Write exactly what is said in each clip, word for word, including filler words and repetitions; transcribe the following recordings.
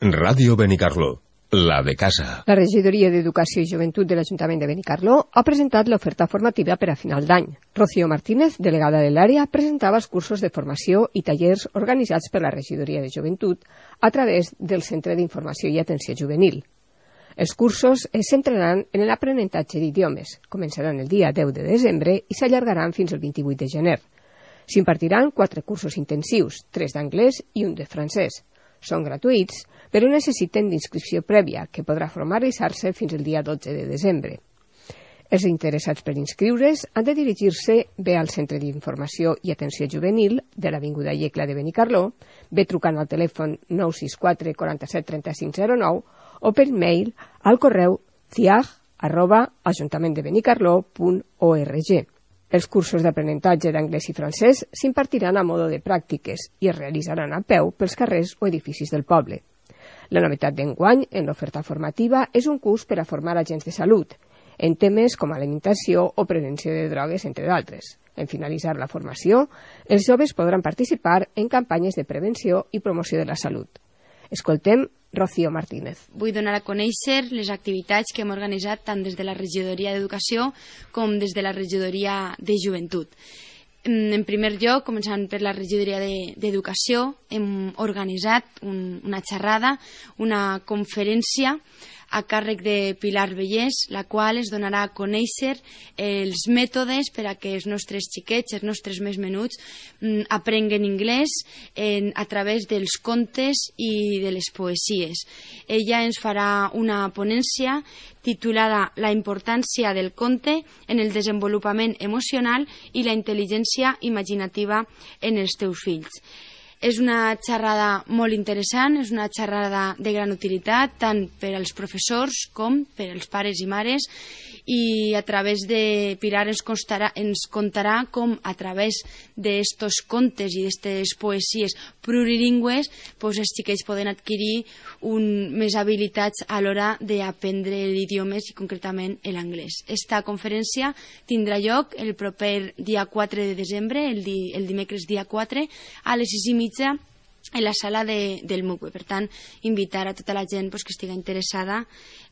Ràdio Benicarló, la de casa. La Regidoria d'Educació i Joventut de l'Ajuntament de Benicarló ha presentat l'oferta formativa per a final d'any. Rocío Martínez, delegada de l'àrea, presentava els cursos de formació i tallers organitzats per la Regidoria de Joventut a través del Centre d'Informació i Atenció Juvenil. Els cursos es centraran en l'aprenentatge d'idiomes, començaran el dia deu de desembre i s'allargaran fins al vint-i-vuit de gener. S'impartiran quatre cursos intensius, tres d'anglès i un de francès. Són gratuïts, però necessiten d'inscripció prèvia, que podrà formalitzar-se fins al dia dotze de desembre. Els interessats per inscriure's han de dirigir-se bé al Centre d'Informació i Atenció Juvenil de l'Avinguda Iecla de Benicarló, bé trucant al telèfon nou sis quatre quaranta-set trenta-cinc zero nou o per mail al correu ciag arroba ajuntamenttdebenicarló punt org. Els cursos d'aprenentatge d'anglès i francès s'impartiran a modo de pràctiques i es realitzaran a peu pels carrers o edificis del poble. La novetat d'enguany en l'oferta formativa és un curs per a formar agents de salut, en temes com alimentació o prevenció de drogues, entre d'altres. En finalitzar la formació, els joves podran participar en campanyes de prevenció i promoció de la salut. Escoltem Rocío Martínez. Vull donar a conèixer les activitats que hem organitzat tant des de la Regidoria d'Educació com des de la Regidoria de Joventut. En primer lloc, començant per la Regidoria d'Educació, hem organitzat un, una xerrada, una conferència a càrrec de Pilar Vellès, la qual es donarà a conèixer els mètodes per a que els nostres xiquets, els nostres més menuts, aprenguen anglès en, a través dels contes i de les poesies. Ella ens farà una ponència titulada La importància del conte en el desenvolupament emocional i la intel·ligència imaginativa en els teus fills. És una xerrada molt interessant, és una xerrada de gran utilitat tant per als professors com per als pares i mares, i a través de Pilar ens contarà, ens contarà com a través d'estos contes i d'estes poesies plurilingües pues, els xiquets poden adquirir un, més habilitats a l'hora d'aprendre idiomes i concretament l'anglès. Esta conferència tindrà lloc el proper dia quatre de desembre, el, di, el dimecres dia quatre, a les sis i mitja en la sala de, del M U C. Per tant, invitar a tota la gent pues, que estigui interessada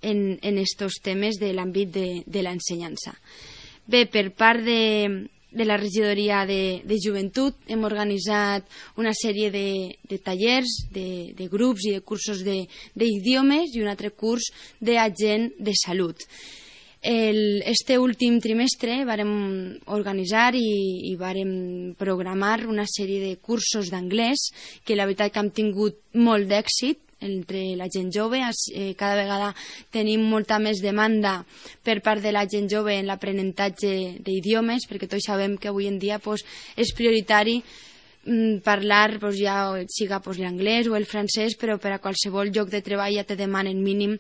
en, en estos temes de l'àmbit de, de l'ensenyança. Bé, per part de, de la Regidoria de, de Joventut hem organitzat una sèrie de, de tallers, de, de grups i de cursos d'idiomes i un altre curs d'agent de salut. El, este últim trimestre vàrem organitzar i, i vàrem programar una sèrie de cursos d'anglès que la veritat que han tingut molt d'èxit entre la gent jove. Eh, cada vegada tenim molta més demanda per part de la gent jove en l'aprenentatge d'idiomes, perquè tots sabem que avui en dia pues, és prioritari parlar pues, ja siga pues, l'anglès o el francès, però per a qualsevol lloc de treball ja te demanen mínim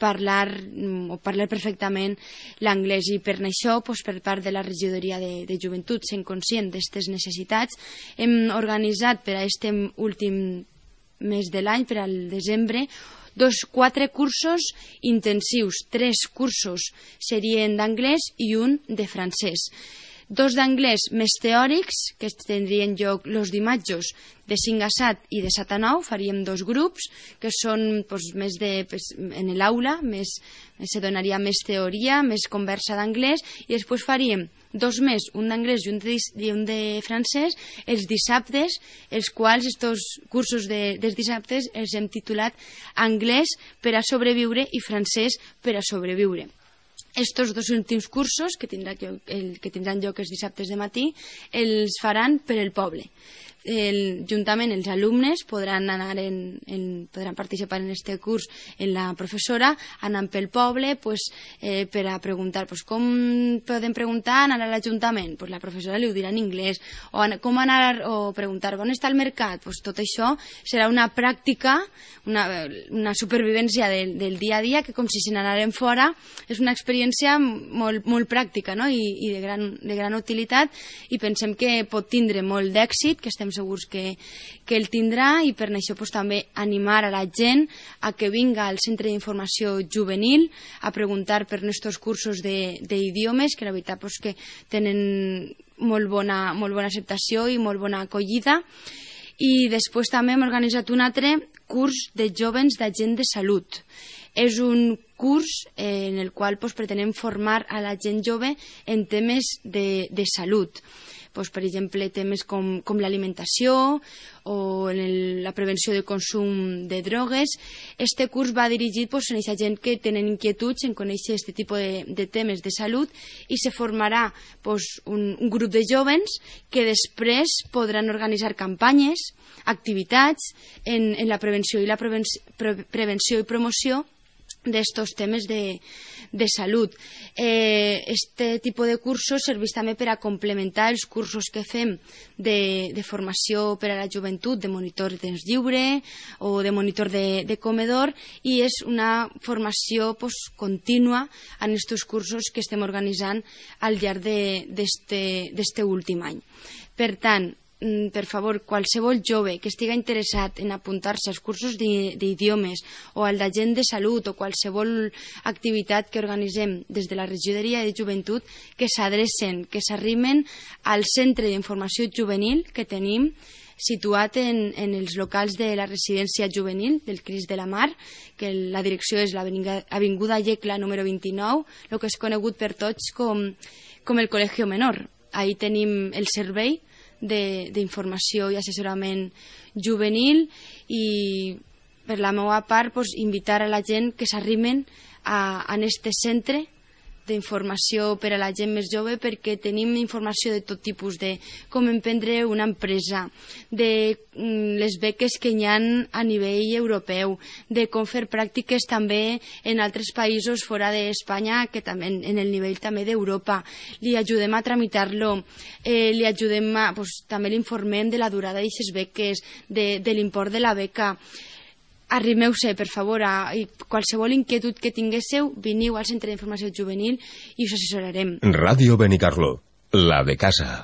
parlar o parlar perfectament l'anglès, i per això pues, per part de la Regidoria de, de Joventut, sent conscient d'aquestes necessitats, hem organitzat per a aquest últim mes de l'any, per al desembre, dos, quatre cursos intensius, tres cursos serien d'anglès i un de francès. Dos d'anglès més teòrics, que tindrien lloc els dimarts de cinc a set i de set a nou, faríem dos grups, que són pues, més de, pues, en l'aula, més, se donaria més teoria, més conversa d'anglès, i després faríem dos més, un d'anglès i un de, i un de francès, els dissabtes, els quals estos cursos de, dels dissabtes els hem titulat Anglès per a sobreviure i Francès per a sobreviure. Estos dos últims cursos, que, tindrà, el, que tindran lloc els dissabtes de matí, els faran per el poble. El, juntament els alumnes podran anar en, en, podran participar en este curs en la professora, anant pel poble pues, eh, per a preguntar pues, com poden preguntar anar a l'Ajuntament, pues, la professora li ho dirà en anglès, o com anar o preguntar on està el mercat, pues, tot això serà una pràctica, una, una supervivència del, del dia a dia, que com si se n'anaren fora, és una experiència molt, molt pràctica, no? I, i de, gran, de gran utilitat, i pensem que pot tindre molt d'èxit, que estem segurs que, que el tindrà, i per això pues, també animar a la gent a que vinga al Centre d'Informació Juvenil a preguntar per nostres cursos d'idiomes, que la veritat pues, que tenen molt bona, molt bona acceptació i molt bona acollida. I després també hem organitzat un altre curs de jovens d'agent de salut. És un curs eh, en el qual pues, pretenem formar a la gent jove en temes de, de salut. Pues, per exemple, temes com, com l'alimentació o en el, la prevenció del consum de drogues. Este curs va dirigit pues, a aquesta gent que tenen inquietuds en conèixer aquest tipus de, de temes de salut i se formarà pues, un, un grup de jovens que després podran organitzar campanyes, activitats en, en la prevenció i la prevenció, pre, prevenció i promoció d'estos temes de, de salut. Eh, este tipus de cursos serveix també per a complementar els cursos que fem de, de formació per a la joventut, de monitor de temps lliure o de monitor de, de comedor, i és una formació pues, contínua en aquests cursos que estem organitzant al llarg d'este últim any. Per tant, per favor, qualsevol jove que estigui interessat en apuntar-se als cursos d'idiomes o al d'agent de salut o qualsevol activitat que organitzem des de la regidoria de joventut, que s'adrecen, que s'arrimen al centre d'informació juvenil que tenim situat en, en els locals de la residència juvenil del Crist de la Mar, que la direcció és l'Avinguda Llecla número vint-i-nou, el que és conegut per tots com, com el Col·legio Menor. Ahí tenim el servei d'informació i assessorament juvenil, i per la meva part pues, invitar a la gent que s'arrimen a, a este centre d'informació per a la gent més jove, perquè tenim informació de tot tipus, de com emprendre una empresa, de mm, les beques que hi ha a nivell europeu, de com fer pràctiques també en altres països fora d'Espanya, que també en el nivell també d'Europa. Li ajudem a tramitar-lo, eh, li ajudem a, pues, també l'informem de la durada d'aquestes beques, de, de l'import de la beca. Arrimeu-se, per favor, a qualsevol inquietud que tinguéssiu, veniu al Centre d'Informació Juvenil i us assessorarem. Ràdio Benicarló, la de casa.